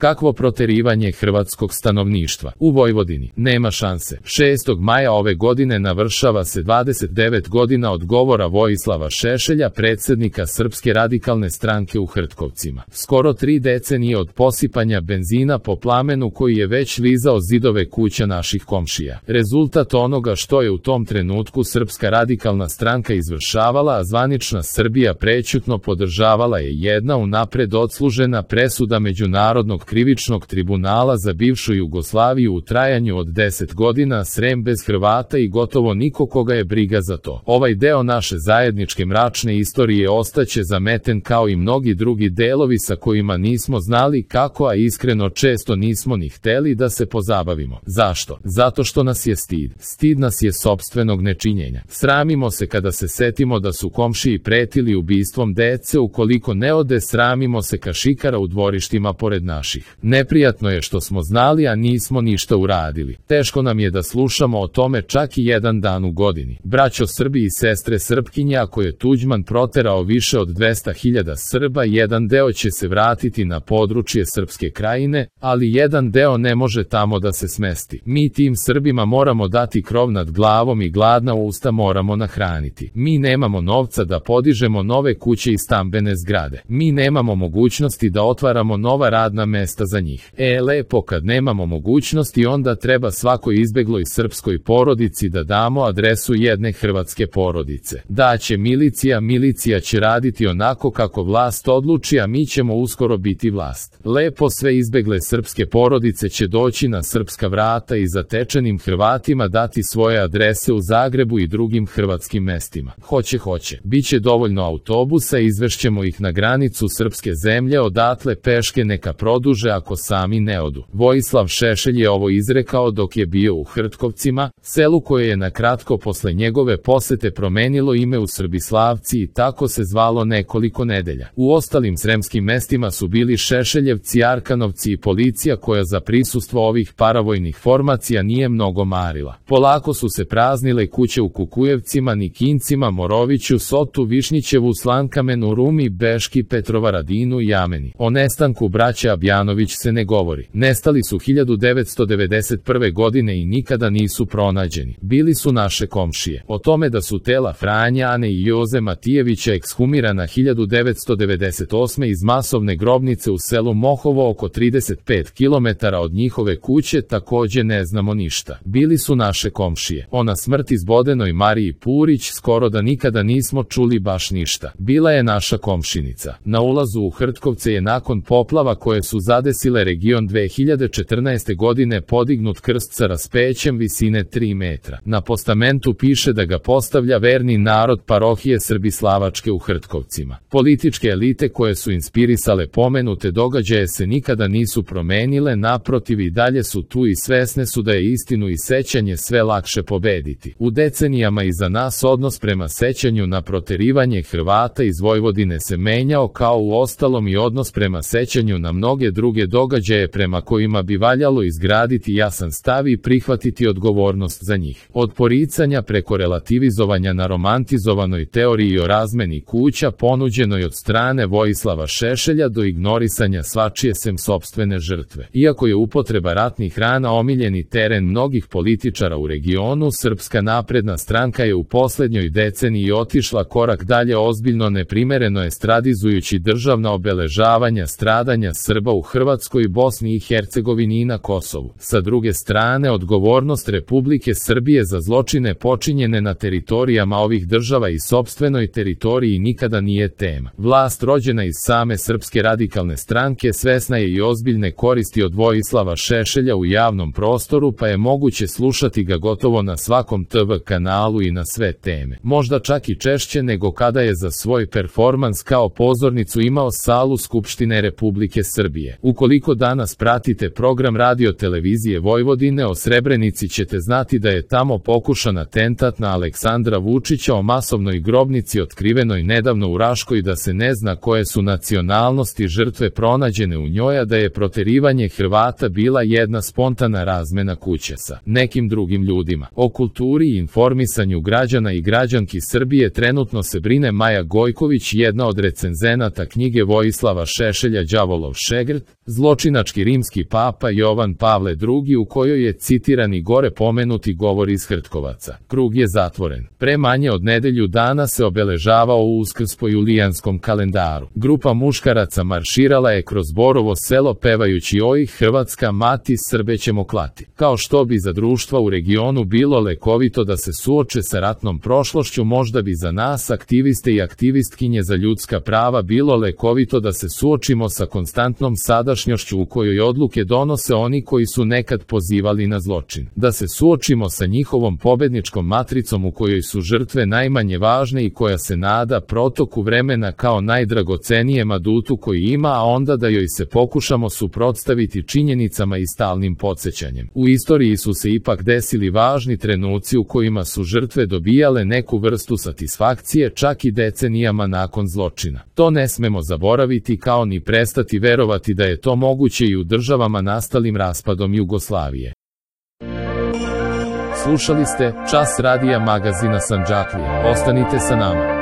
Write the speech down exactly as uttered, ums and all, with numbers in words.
Kakvo proterivanje hrvatskog stanovništva u Vojvodini? Nema šanse. šestog maja ove godine navršava se dvadeset devet godina od govora Vojislava Šešelja, predsjednika Srpske radikalne stranke u Hrtkovcima. Skoro tri decenije od posipanja benzina po plamenu koji je već lizao zidove kuća naših komšija. Rezultat onoga što je u tom trenutku Srpska radikalna stranka izvršavala, a zvanična Srbija prećutno podržavala, je jedna unapred odslužena presuda Međunarodnog krivičnog tribunala za bivšu Jugoslaviju u trajanju od deset godina, Srem bez Hrvata i gotovo niko koga je briga za to. Ovaj deo naše zajedničke mračne istorije ostaće zameten kao i mnogi drugi delovi sa kojima nismo znali kako, a iskreno često nismo ni hteli da se pozabavimo. Zašto? Zato što nas je stid. Stid nas je sopstvenog nečinjenja. Sramimo se kada se setimo da su komšiji pretili ubistvom dece, ukoliko ne ode, sramimo se kašikara u dvorištima pored naših. Neprijatno je što smo znali, a nismo ništa uradili. Teško nam je da slušamo o tome čak i jedan dan u godini. Braćo Srbi i sestre Srpkinje, ako je Tuđman proterao više od dvesta hiljada Srba, jedan deo će se vratiti na područje Srpske Krajine, ali jedan deo ne može tamo da se smesti. Mi tim Srbima moramo dati krov nad glavom i gladna usta moramo nahraniti. Mi nemamo novca da podižemo nove kuće i stambene zgrade. Mi nemamo mogućnosti da otvaramo nova radna mesta za njih. E, lepo, kad nemamo mogućnosti, onda treba svakoj izbegloj srpskoj porodici da damo adresu jedne hrvatske porodice. Da će milicija, milicija će raditi onako kako vlast odluči, a mi ćemo uskoro biti vlast. Lepo, sve izbegle srpske porodice će doći na srpska vrata i zatečenim Hrvatima dati svoje adrese u Zagrebu i drugim hrvatskim mestima. Hoće, hoće. Biće dovoljno autobusa, izvešćemo ih na granicu srpske zemlje, odatle peške neka produže ako sami ne odu. Vojislav Šešelj je ovo izrekao dok je bio u Hrtkovcima, selu koje je na kratko posle njegove posete promenilo ime u Srbislavci i tako se zvalo nekoliko nedelja. U ostalim sremskim mestima su bili Šešeljevci, Arkanovci i policija koja za prisustvo ovih paravojnih formacija nije mnogo marila. Polako su se praznile kuće u Kukujevcima, Nikincima, Moroviću, Sotu, Višnjićevu, Slankamenu, Rumi, Beški, Petrovaradinu i Jameni. O nestanku braća Abjanović se ne govori. Nestali su hiljadu devetsto devedeset prve godine i nikada nisu pronađeni. Bili su naše komšije. O tome da su tela Franja, Ane i Joze Matijevića ekshumirana hiljadu devetsto devedeset osme iz masovne grobnice u selu Mohovo oko trideset pet kilometara od njihove kuće takođe ne znamo ništa. Bili su naše komšije. O na smrti zbodenoj Mariji Purić skoro da nikada nismo čuli baš ništa. Bila je naša komšinica. Na ulazu u Hrtkovce je nakon poplava koje su zadesile region dve hiljade četrnaeste godine podignut krst sa raspećem visine tri metra. Na postamentu piše da ga postavlja verni narod parohije Srbislavačke u Hrtkovcima. Političke elite koje su inspirisale pomenute događaje se nikada nisu promenile, naprotiv i dalje su tu i svesne su da je istinu i sećanje sve lakše pobediti. U decenijama iza nas odnos prema sećanju na proterivanje Hrvata iz Vojvodine se menjao, kao u ostalom i odnos prema sećanju na mnoge druge događaje prema kojima bi valjalo izgraditi jasan stav i prihvatiti odgovornost za njih. Od poricanja preko relativizovanja na romantizovanoj teoriji o razmeni kuća ponuđenoj od strane Vojislava Šešelja do ignorisanja svačije sem sopstvene žrtve. Iako je upotreba ratnih rana omiljeni teren mnogih političara u regionu, Srpska napredna stranka je u poslednjoj deceniji otišla korak dalje, ozbiljno neprimereno estradizujući državna obeležavanja stradanja Srba u Hrvatskoj, Bosni i Hercegovini i na Kosovu. Sa druge strane, odgovornost Republike Srbije za zločine počinjene na teritorijama ovih država i sopstvenoj teritoriji nikada nije tema. Vlast rođena iz same Srpske radikalne stranke svesna je i ozbiljne koristi od Vojislava Šešelja u javnom prostoru, pa je moguće slušati ga gotovo na svakom te ve kanalu i na sve teme. Možda čak i češće nego kada je za svoj performans kao pozornicu imao salu Skupštine Republike Srbije. Ukoliko danas pratite program radio televizije Vojvodine o Srebrenici, ćete znati da je tamo pokušan atentat na Aleksandra Vučića o masovnoj grobnici otkrivenoj nedavno u Raškoj, da se ne zna koje su nacionalnosti žrtve pronađene u njoj, a da je proterivanje Hrvata bila jedna spontana razmena kuće sa nekim drugim ljudima. O kulturi i informisanju građana i građanki Srbije trenutno se brine Maja Gojković, jedna od recenzenata knjige Vojislava Šešelja Đavolov šegrt, Zločinački rimski papa Jovan Pavle drugi u kojoj je citirani gore pomenuti govor iz Hrtkovaca. Krug je zatvoren. Pre manje od nedelju dana se obeležavao Uskrs po julijanskom kalendaru. Grupa muškaraca marširala je kroz Borovo selo pevajući Oj Hrvatska mati, Srbe ćemo klati. Kao što bi za društva u regionu bilo lekovito da se suoče sa ratnom prošlošću, možda bi za nas aktiviste i aktivistkinje za ljudska prava bilo lekovito da se suočimo sa konstantnom sadašnjošću u kojoj odluke donose oni koji su nekad pozivali na zločin. Da se suočimo sa njihovom pobedničkom matricom u kojoj su žrtve najmanje važne i koja se nada protoku vremena kao najdragocenijem adutu koji ima, a onda da joj se pokušamo suprotstaviti činjenicama i stalnim podsjećanjem. U istoriji su se ipak desili važni trenuci u kojima su žrtve dobijale neku vrstu satisfakcije čak i decenijama nakon zločina. To ne smemo zaboraviti, kao ni prestati verovati da je to moguće i u državama nastalim raspadom Jugoslavije. Slušali ste Čas radija magazina Sandžaklija. Ostanite sa nama.